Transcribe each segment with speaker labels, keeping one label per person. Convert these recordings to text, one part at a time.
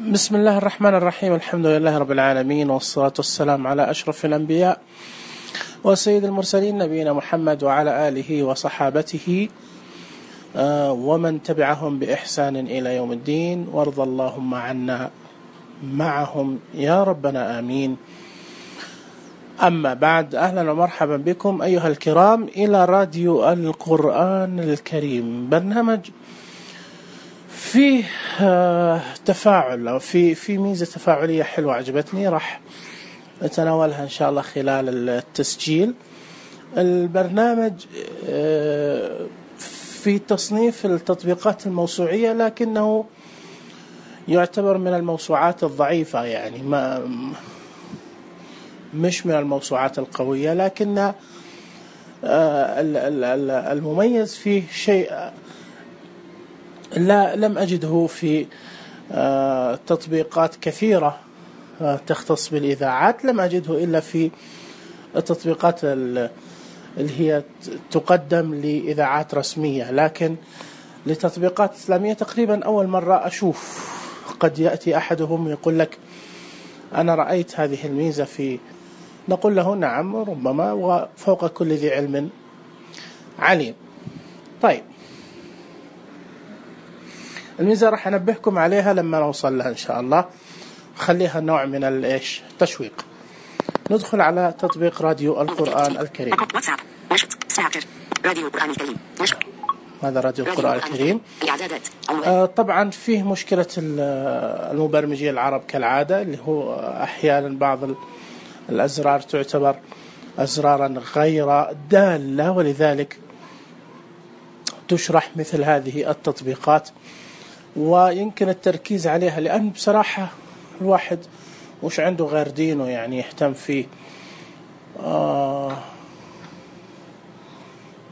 Speaker 1: بسم الله الرحمن الرحيم. الحمد لله رب العالمين، والصلاة والسلام على أشرف الأنبياء وسيد المرسلين نبينا محمد وعلى آله وصحابته ومن تبعهم بإحسان إلى يوم الدين، وارض اللهم عنا معهم يا ربنا آمين. أما بعد، أهلا ومرحبا بكم أيها الكرام إلى راديو القرآن الكريم، برنامج فيه تفاعل أو في ميزة تفاعلية حلوة عجبتني، راح نتناولها إن شاء الله خلال التسجيل. البرنامج في تصنيف التطبيقات الموسوعية، لكنه يعتبر من الموسوعات الضعيفة، يعني مش من الموسوعات القوية، لكن المميز فيه شيء لم أجده في تطبيقات كثيرة تختص بالإذاعات، لم أجده إلا في التطبيقات اللي هي تقدم لإذاعات رسمية، لكن لتطبيقات إسلامية تقريبا أول مرة أشوف. قد يأتي أحدهم يقول لك أنا رأيت هذه الميزة في، نقول له نعم ربما، وفوق كل ذي علم عليم. طيب، الميزة راح أنبهكم عليها لما نوصل لها إن شاء الله، خليها نوع من التشويق. ندخل على تطبيق راديو القرآن الكريم. هذا راديو القرآن الكريم. طبعا فيه مشكلة المبرمجين العرب كالعادة، اللي هو أحيانا بعض الأزرار تعتبر أزرارا غير دالة، ولذلك تشرح مثل هذه التطبيقات، ويمكن التركيز عليها، لأن بصراحة الواحد مش عنده غير دينه يعني يهتم فيه.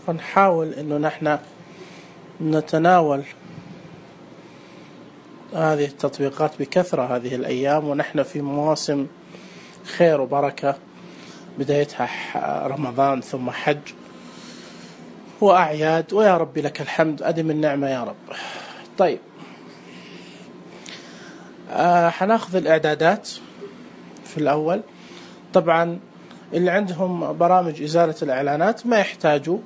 Speaker 1: فنحاول إنه نحن نتناول هذه التطبيقات بكثرة هذه الأيام، ونحن في مواسم خير وبركة، بدايتها رمضان ثم حج وأعياد، ويا رب لك الحمد، أدم النعمة يا رب. طيب، حناخذ الإعدادات في الأول. طبعا اللي عندهم برامج إزالة الإعلانات ما يحتاجوا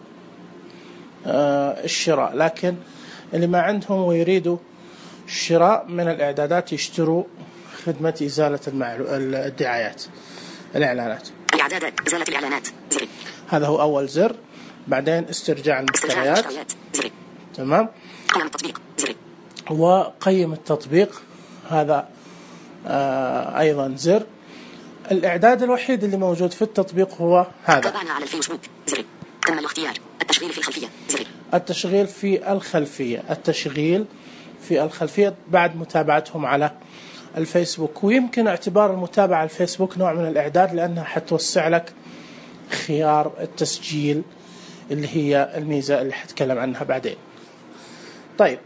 Speaker 1: الشراء، لكن اللي ما عندهم ويريدوا الشراء من الإعدادات يشتروا خدمة إزالة الدعايات، الإعلانات.
Speaker 2: إعدادات إزالة الإعلانات، زر.
Speaker 1: هذا هو أول زر. بعدين استرجاع المحتويات، تمام.
Speaker 2: قيم التطبيق، زر.
Speaker 1: وقيم التطبيق، هذا أيضا زر. الإعداد الوحيد اللي موجود في التطبيق هو هذا.
Speaker 2: تابعنا على الفيسبوك، زر. تم الاختيار. التشغيل في الخلفية، زر.
Speaker 1: التشغيل في الخلفية، التشغيل في الخلفية بعد متابعتهم على الفيسبوك. ويمكن اعتبار المتابعة على الفيسبوك نوع من الإعداد، لأنها حتوسع لك خيار التسجيل، اللي هي الميزة اللي حتكلم عنها بعدين. طيب،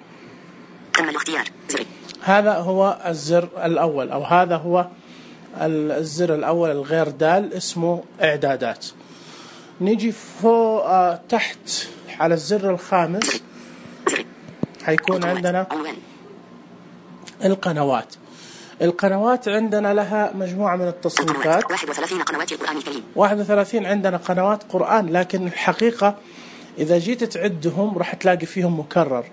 Speaker 2: تم الاختيار، زر.
Speaker 1: هذا هو الزر الأول، أو هذا هو الزر الأول الغير دال، اسمه إعدادات. نيجي فوق تحت على الزر الخامس، حيكون عندنا القنوات. القنوات عندنا لها مجموعة من التصنيفات،
Speaker 2: 31 قنوات القرآن الكريم.
Speaker 1: 31 عندنا قنوات قرآن، لكن الحقيقة إذا جيت تعدهم راح تلاقي فيهم مكرر،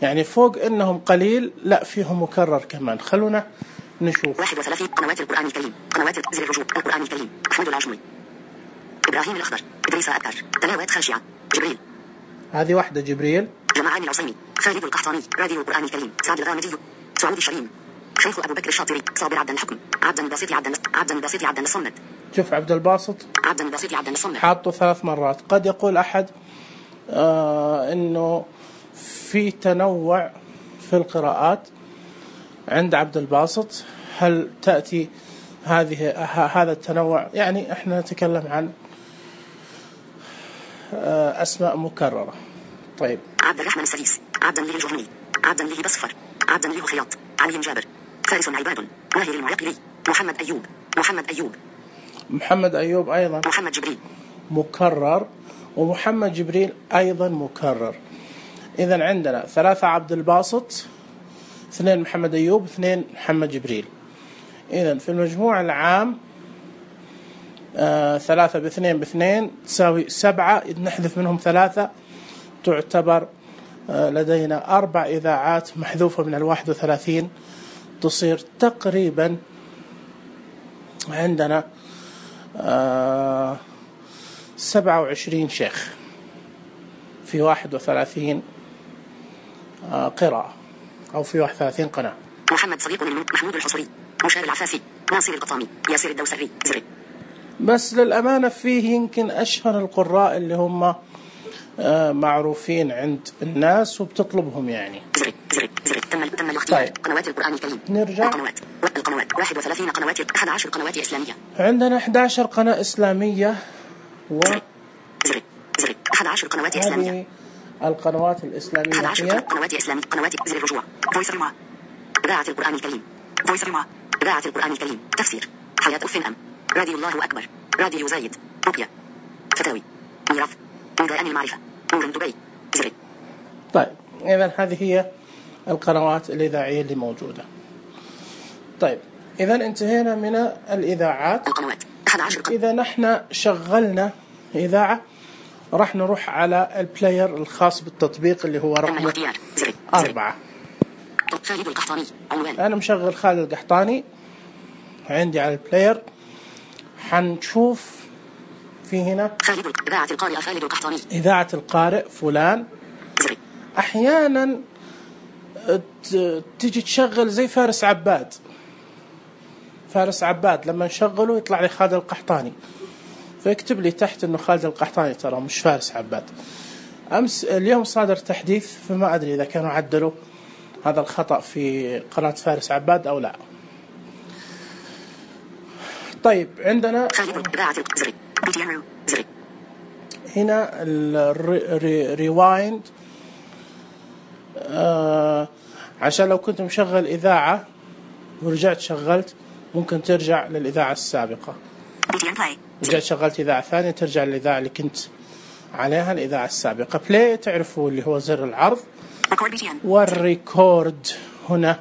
Speaker 1: يعني فوق إنهم قليل لا فيهم مكرر كمان. خلونا نشوف.
Speaker 2: 31 قنوات القرآن الكريم. قنوات زر الرجوع القرآن الكريم. محمود العجمي، إبراهيم الأخضر، إدريس أبكر، تلاوات خاشعة، جبريل.
Speaker 1: هذه واحدة جبريل.
Speaker 2: جمعان العصيمي، خالد القحطاني، راديو القرآن الكريم، سعد الغامدي، سعود الشريم، شيخ أبو بكر الشاطري، صابر عبد الحكم، عبد الباسط عبد الصمد.
Speaker 1: شوف عبد الباسط،
Speaker 2: عبد الباسط عبد الصمد
Speaker 1: حاطه 3 مرات. قد يقول أحد إنه في تنوع في القراءات عند عبد الباسط. هل تأتي هذا التنوع؟ يعني احنا نتكلم عن أسماء مكررة. طيب،
Speaker 2: عبد الرحمن السديس، عبد الله الجهني، عبد الله بصفر، عبد الله خياط، علي جابر، فارس عباد، ماهر المعقلي، محمد أيوب أيضا، محمد جبريل
Speaker 1: مكرر، ومحمد جبريل أيضا مكرر. إذن عندنا 3 عبد الباسط، 2 محمد أيوب، 2 محمد جبريل. إذن في المجموع العام 3 ب2 ب2 تساوي 7. نحذف منهم 3 تعتبر لدينا 4 إذاعات محذوفة من 31. تصير تقريبا عندنا 27 شيخ في 31 قراءة، أو في 31 قناة.
Speaker 2: محمد صديق محمود الحصري، مشار العفافي، ناصر القطامي، ياسر الدوسري، زري.
Speaker 1: بس للأمانة فيه يمكن أشهر القراء اللي هم معروفين عند الناس وبتطلبهم يعني.
Speaker 2: زري. تم الاختيار.
Speaker 1: طيب.
Speaker 2: قنوات القرآن الكريم.
Speaker 1: نرجع.
Speaker 2: القنوات 31 قنوات، 11 قنوات إسلامية.
Speaker 1: عندنا 11 قناة إسلامية
Speaker 2: زري 11 قنوات إسلامية.
Speaker 1: القنوات الإسلامية
Speaker 2: 11
Speaker 1: هي
Speaker 2: قنوات إسلامية. قنوات زر الرجوع، فويس ريما، إذاعة القرآن الكريم، فويس ريما، إذاعة القرآن الكريم، تفسير، حياة أم، راديو الله أكبر، راديو زايد، رؤيا، فتاوي، ميراث، ميدان المعرفة، نور دبي، زري.
Speaker 1: طيب إذن هذه هي القنوات الإذاعية اللي موجودة. طيب إذن انتهينا من الإذاعات.
Speaker 2: القنوات 11 قناة.
Speaker 1: إذا نحن شغلنا إذاعة راح نروح على البلاير الخاص بالتطبيق اللي هو رقم 4.
Speaker 2: خالد القحطاني عنوان.
Speaker 1: أنا مشغل خالد القحطاني عندي على البلاير. حنشوف في هنا
Speaker 2: إذاعة القارئ خالد القحطاني،
Speaker 1: إذاعة القارئ فلان.
Speaker 2: زري.
Speaker 1: أحيانا تيجي تشغل زي فارس عباد لما نشغله يطلع لي خالد القحطاني، فيكتب لي تحت إنه خالد القحطاني، ترى مش فارس عباد. اليوم صادر تحديث، فما أدري إذا كانوا عدلوا هذا الخطأ في قناة فارس عباد أو لا. طيب عندنا هنا الريوايند، عشان لو كنت مشغل إذاعة ورجعت شغلت ممكن ترجع للإذاعة السابقة. رجعت شغلت إذاعة ثانية ترجع للإذاعة اللي كنت عليها، الإذاعة السابقة. بلاي تعرفوا اللي هو زر العرض، والريكورد هنا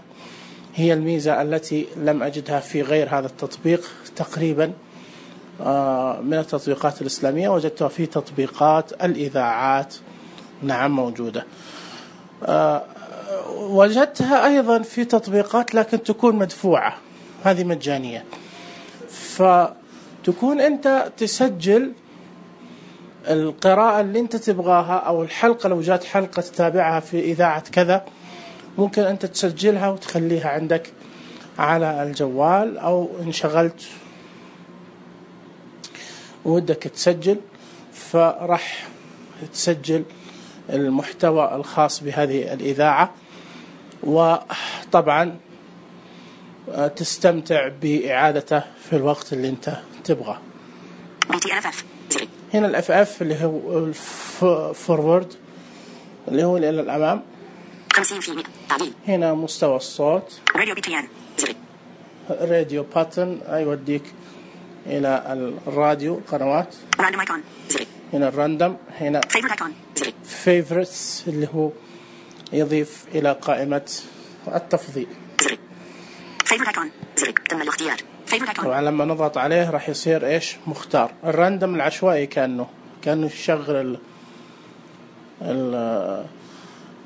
Speaker 1: هي الميزة التي لم أجدها في غير هذا التطبيق تقريبا. من التطبيقات الإسلامية وجدتها في تطبيقات الإذاعات، نعم موجودة. وجدتها أيضا في تطبيقات لكن تكون مدفوعة، هذه مجانية، فتكون أنت تسجل القراءة اللي أنت تبغاها، أو الحلقة لو جات حلقة تتابعها في إذاعة كذا ممكن أنت تسجلها وتخليها عندك على الجوال، أو إن شغلت ودك تسجل فرح تسجل المحتوى الخاص بهذه الإذاعة، وطبعا تستمتع بإعادته في الوقت اللي أنت تبغاه. هنا الاف اف اللي هو الفورورد اللي هو إلى الأمام
Speaker 2: 50% تعديل.
Speaker 1: هنا مستوى الصوت، راديو باتن يوديك إلى الراديو قنوات. هنا الراندوم، هنا فيفورتس اللي هو يضيف إلى قائمة التفضيل.
Speaker 2: تم الاختيار.
Speaker 1: طبعا لما نضغط عليه راح يصير إيش مختار. الراندوم العشوائي كأنه يشغل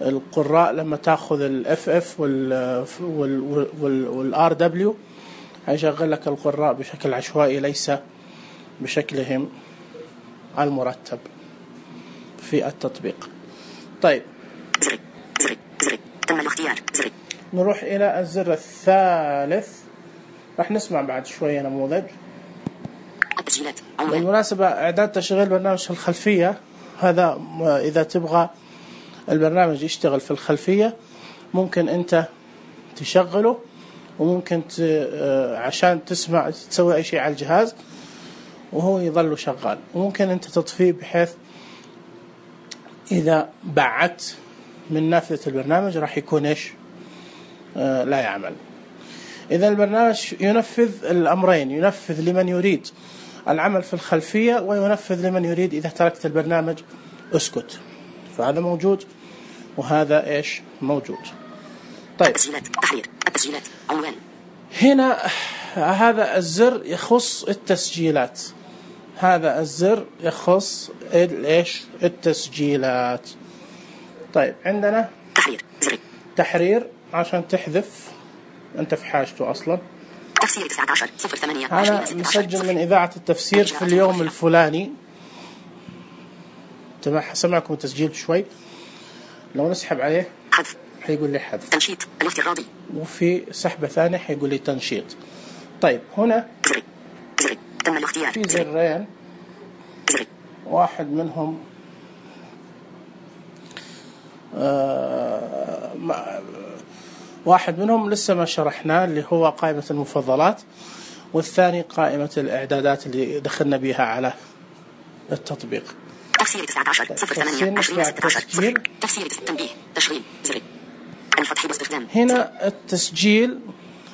Speaker 1: القراء لما تأخذ الاف اف والار دبليو هيشغل لك القراء بشكل عشوائي ليس بشكلهم المرتب في التطبيق. طيب
Speaker 2: تم الاختيار.
Speaker 1: نروح إلى الزر الثالث، راح نسمع بعد شوية نموذج.
Speaker 2: التسجيلات.
Speaker 1: بالمناسبة إعداد تشغيل برنامج في الخلفية، هذا إذا تبغى البرنامج يشتغل في الخلفية ممكن أنت تشغله، وممكن عشان تسمع تسوي أي شيء على الجهاز وهو يظل شغال، وممكن أنت تطفيه بحيث إذا بعدت من نافذة البرنامج راح يكون إيش لا يعمل. إذا البرنامج ينفذ الأمرين، ينفذ لمن يريد العمل في الخلفية، وينفذ لمن يريد إذا تركت البرنامج اسكت. فهذا موجود وهذا إيش موجود. طيب
Speaker 2: التسجيلات تحرير التسجيلات عنوان.
Speaker 1: هنا هذا الزر يخص التسجيلات، هذا الزر يخص ايش؟ التسجيلات. طيب عندنا
Speaker 2: تحرير زر
Speaker 1: تحرير عشان تحذف أنت في حاجته أصلا.
Speaker 2: تفسير 19/08
Speaker 1: أنا مسجل من إذاعة التفسير في اليوم الفلاني، تمام، سمعكم تسجيل شوي، لو نسحب عليه
Speaker 2: حذف
Speaker 1: حيقول لي حذف،
Speaker 2: تنشيط الافتراضي،
Speaker 1: وفي سحبة ثانية حيقول لي تنشيط. طيب هنا
Speaker 2: زر تم الاختيار
Speaker 1: في زرين،
Speaker 2: زر
Speaker 1: واحد منهم واحد منهم لسه ما شرحناه اللي هو قائمة المفضلات، والثاني قائمة الإعدادات اللي دخلنا بها على التطبيق.
Speaker 2: تفسير 19/08/2016 تفسير تنبيه تشغيل زر الفتح باستخدام.
Speaker 1: هنا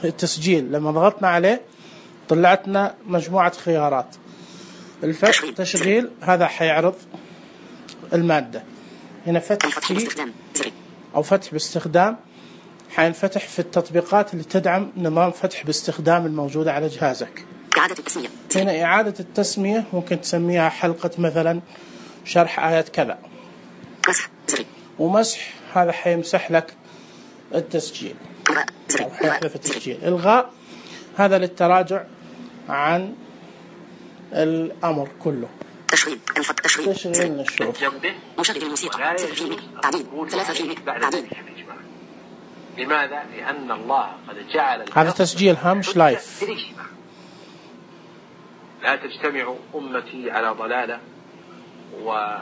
Speaker 1: التسجيل لما ضغطنا عليه طلعتنا مجموعة خيارات. الفتح تشغيل هذا حيعرض المادة. هنا فتح فيه أو فتح باستخدام حينفتح في التطبيقات اللي تدعم نظام فتح باستخدام الموجودة على جهازك.
Speaker 2: إعادة التسمية.
Speaker 1: هنا إعادة التسمية ممكن تسميها حلقة مثلا شرح آيات كذا.
Speaker 2: مسح زر
Speaker 1: ومسح هذا حيمسح لك التسجيل أو حيحذف التسجيل. إلغاء هذا للتراجع عن الأمر كله.
Speaker 2: تشغيل
Speaker 1: تشغيل نشوف.
Speaker 2: مشغل الموسيقى 0% تعديل 3% تعديل.
Speaker 3: لماذا؟ لأن الله قد جعل
Speaker 1: هذا تسجيل مش لايف.
Speaker 3: لا تجتمع أمتي على ضلالة.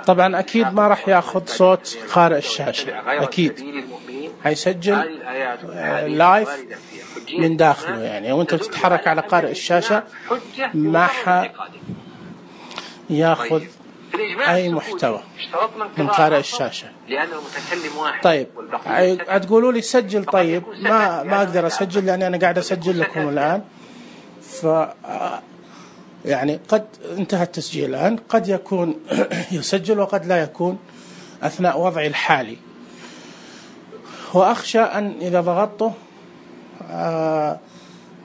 Speaker 1: طبعا أكيد ما راح يأخذ صوت قارئ الشاشة، أكيد هيسجل لايف من داخله، يعني وأنت بتتحرك على قارئ الشاشة ما يأخذ أي محتوى من قارئ الشاشة. طيب هتقولوا لي سجل، طيب ما أقدر أسجل لأني أنا قاعد أسجل لكم الآن، يعني قد انتهى التسجيل الآن، قد يكون يسجل وقد لا يكون أثناء وضعي الحالي، وأخشى أن إذا ضغطته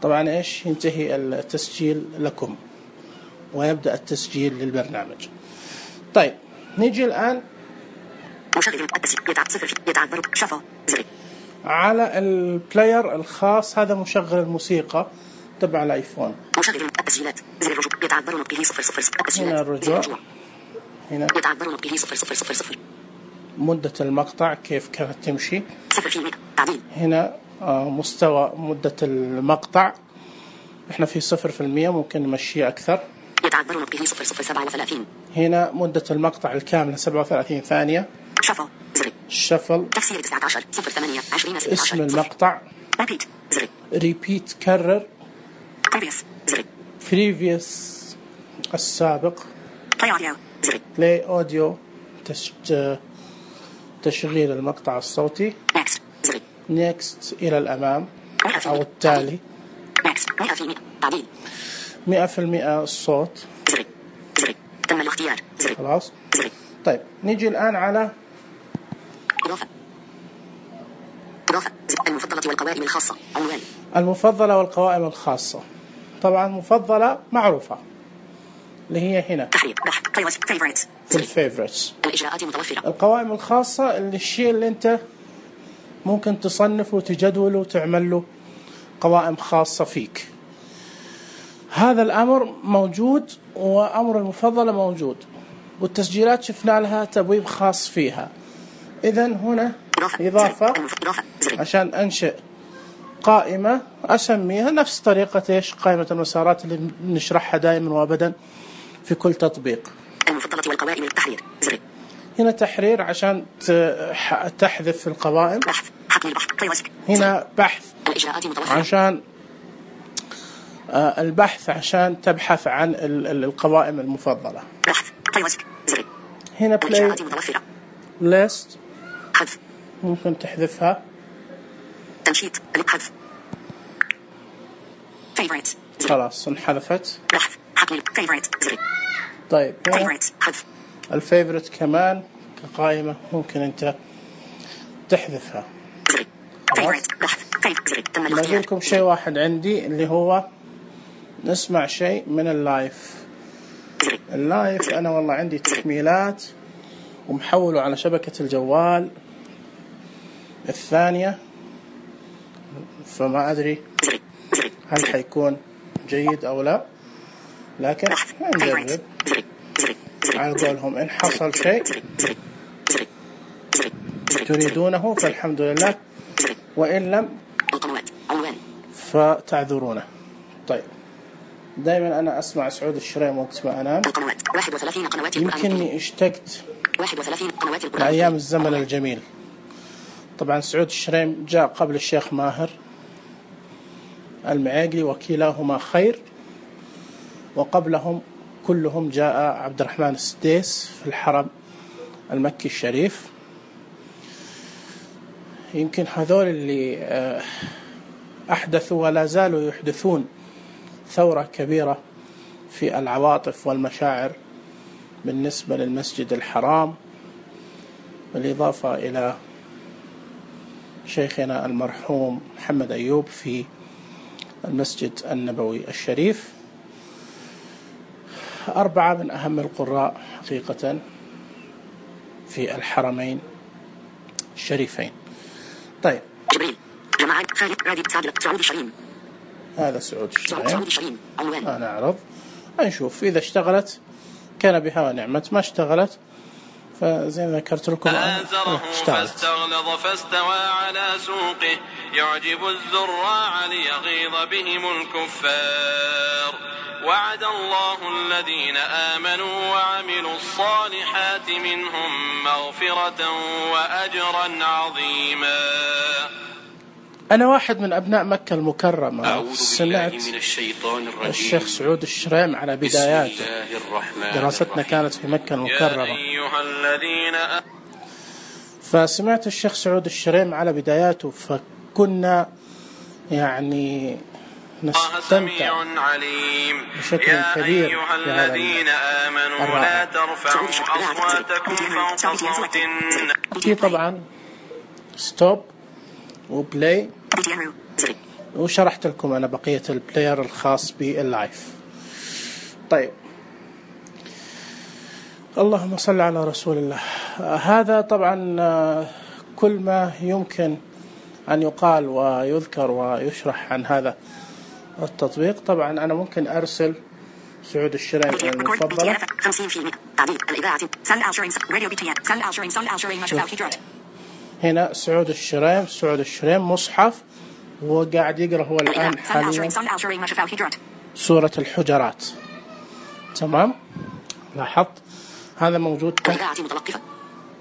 Speaker 1: طبعا إيش ينتهي التسجيل لكم ويبدأ التسجيل للبرنامج. طيب نيجي الآن على البلاير الخاص، هذا مشغل الموسيقى تبع الايفون.
Speaker 2: مشغل التسجيلات زر الرجوع يتعبرون به 000.
Speaker 1: هنا الرجوع، هنا
Speaker 2: يتعبرون به 000.
Speaker 1: مدة المقطع كيف كانت تمشي
Speaker 2: 0% تعديل.
Speaker 1: هنا مستوى مدة المقطع احنا في 0%، ممكن نمشيه أكثر.
Speaker 2: يتعبرون به 0.37.
Speaker 1: هنا مدة المقطع الكاملة 37 ثانية.
Speaker 2: شفل زر
Speaker 1: شفل
Speaker 2: تفسير 19/08/2016
Speaker 1: اسم المقطع.
Speaker 2: ريبيت زر
Speaker 1: ريبيت كرر.
Speaker 2: previous زر
Speaker 1: previous السابق.
Speaker 2: play audio زر
Speaker 1: play audio تشغيل المقطع الصوتي.
Speaker 2: next زر
Speaker 1: next إلى الأمام أو التالي.
Speaker 2: next 100% تعديل
Speaker 1: 100% الصوت.
Speaker 2: زر تم الاختيار زر
Speaker 1: خلاص.
Speaker 2: زر
Speaker 1: طيب نيجي الآن على
Speaker 2: إضافة المفضلة والقوائم الخاصة عنوان.
Speaker 1: المفضلة والقوائم الخاصة. طبعا مفضلة معروفة اللي هي هنا
Speaker 2: تحرير بحث favorites
Speaker 1: في الفيفوريتس.
Speaker 2: الإجراءات متوفرة.
Speaker 1: القوائم الخاصة اللي الشيء اللي أنت ممكن تصنفه وتجدوله وتعمل له قوائم خاصة فيك. هذا الأمر موجود، وأمر المفضلة موجود، والتسجيلات شفنا لها تبويب خاص فيها. إذن هنا إضافة عشان أنشئ قائمة أسميها نفس طريقة إيش قائمة المسارات اللي نشرحها دائما وأبدا في كل تطبيق.
Speaker 2: المفضلة والقوائم التحرير زر.
Speaker 1: هنا تحرير عشان تحذف القوائم.
Speaker 2: بحث حقل البحث.
Speaker 1: هنا بحث
Speaker 2: الإجراءات متوفرة.
Speaker 1: عشان البحث عشان تبحث عن القوائم المفضلة.
Speaker 2: بحث زر.
Speaker 1: هنا
Speaker 2: الإجراءات متوفرة.
Speaker 1: list
Speaker 2: حذف
Speaker 1: ممكن تحذفها.
Speaker 2: تنشيط حذف favorites
Speaker 1: خلاص انحذفت.
Speaker 2: بحث حقل favorite زر.
Speaker 1: طيب
Speaker 2: favorites حذف
Speaker 1: الفيفوريت كمان كقائمة ممكن أنت تحذفها.
Speaker 2: زر
Speaker 1: نقول لكم شيء واحد عندي اللي هو نسمع شيء من اللايف. اللايف أنا والله عندي تحميلات ومحوله على شبكة الجوال الثانية، فما أدري هل حيكون جيد أو لا، لكن نجرب على قولهم. إن حصل شيء تريدونه فالحمد لله، وإن لم فتعذرونا. طيب، دائما أنا أسمع سعود الشريم وقت ما أنام. يمكنني اشتقت لأيام الزمن الجميل. طبعا سعود الشريم جاء قبل الشيخ ماهر المعاقلي وكلاهما خير، وقبلهم كلهم جاء عبد الرحمن السديس في الحرم المكي الشريف. يمكن هذول اللي أحدثوا ولا زالوا يحدثون ثورة كبيرة في العواطف والمشاعر بالنسبة للمسجد الحرام، بالإضافة إلى شيخنا المرحوم محمد أيوب في المسجد النبوي الشريف. 4 من أهم القراء حقيقة في الحرمين الشريفين. طيب،
Speaker 2: جماعة خالد رادي سعود الشريم.
Speaker 1: هذا سعود الشريم. أنا أعرض نشوف إذا اشتغلت كان بها ونعمت، ما اشتغلت فزي ما ذكرت لكم اشتغلت.
Speaker 4: فاستغلظ فاستوى على سوقه يعجب الزراع ليغيظ بهم الكفار. وعد الله الذين آمنوا وعملوا الصالحات منهم مغفرة وأجرا عظيما.
Speaker 1: أنا واحد من أبناء مكة المكرمة، سمعت الشيخ سعود الشريم على بداياته، دراستنا كانت في مكة المكرمة، فسمعت الشيخ سعود الشريم على بداياته، فكنا يعني نستمتع بشكل كبير بهذا الرائع. في طبعا ستوب وبلاي، وشرحت لكم أنا بقية البلاير الخاص باللايف. طيب، اللهم صل على رسول الله. هذا طبعا كل ما يمكن أن يقال ويذكر ويشرح عن هذا التطبيق. طبعا أنا ممكن أرسل سعود الشريم المفضلة.
Speaker 2: 50% تعديل الإذاعة
Speaker 1: هنا سعود الشريم مصحف، وقاعد يقرأ هو الآن حاليا سورة الحجرات. تمام، لاحظت هذا موجود.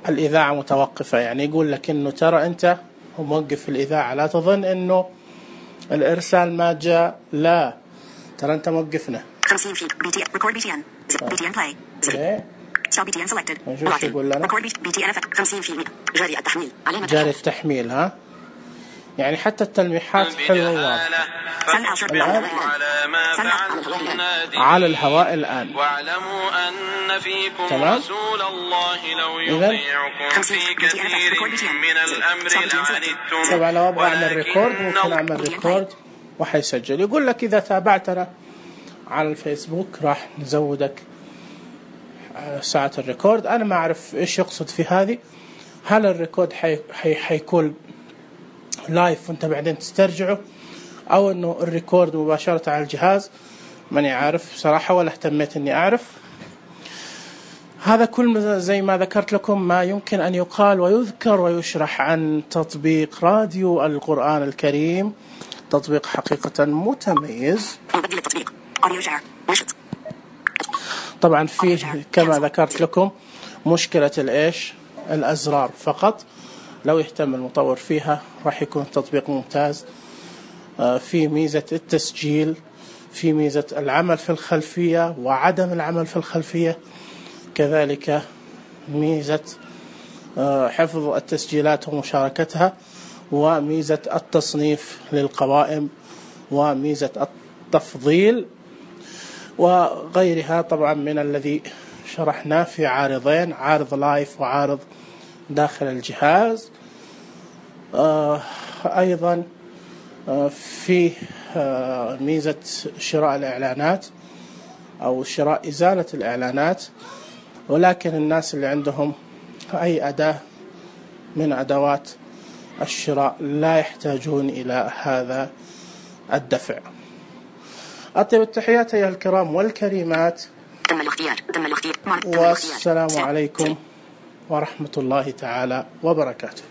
Speaker 1: الإذاعة متوقفة، يعني يقول لك إنه ترى أنت موقف الإذاعة، لا تظن إنه الإرسال ما جاء، لا ترى أنت موقفنا.
Speaker 2: 50 record BTN play shall BTN selected
Speaker 1: يقول لنا
Speaker 2: record BTN 50% جاري التحميل،
Speaker 1: جاري التحميل. ها، يعني حتى التلميحات حلوة واضحة. الآن على الهواء الآن.
Speaker 4: واعلموا أن فيكم رسول الله لو يطيعكم في كثير من الأمر لعنتم.
Speaker 1: طبعا لو أبغى أعمل ريكورد ممكن أعمل ريكورد وحيسجل. يقول لك إذا تابعتنا على الفيسبوك راح نزودك ساعة الريكورد. أنا ما أعرف إيش يقصد في هذه، هل الريكورد حيكون لايف وانت بعدين تسترجعه، أو أنه الريكورد مباشرة على الجهاز؟ ماني عارف صراحة ولا اهتميت أني أعرف. هذا كل زي ما ذكرت لكم ما يمكن أن يقال ويذكر ويشرح عن تطبيق راديو القرآن الكريم. تطبيق حقيقة متميز. طبعا فيه كما ذكرت لكم مشكلة الإيش، الأزرار فقط. لو يهتم المطور فيها راح يكون تطبيق ممتاز. في ميزة التسجيل، في ميزة العمل في الخلفية وعدم العمل في الخلفية، كذلك ميزة حفظ التسجيلات ومشاركتها، وميزة التصنيف للقوائم، وميزة التفضيل، وغيرها طبعا من الذي شرحناه في عارضين، عارض لايف وعارض داخل الجهاز. أيضا في ميزة شراء الإعلانات أو شراء إزالة الإعلانات، ولكن الناس اللي عندهم أي أداة من أدوات الشراء لا يحتاجون إلى هذا الدفع. أطيب التحيات أيها الكرام والكريمات، والسلام عليكم ورحمة الله تعالى وبركاته.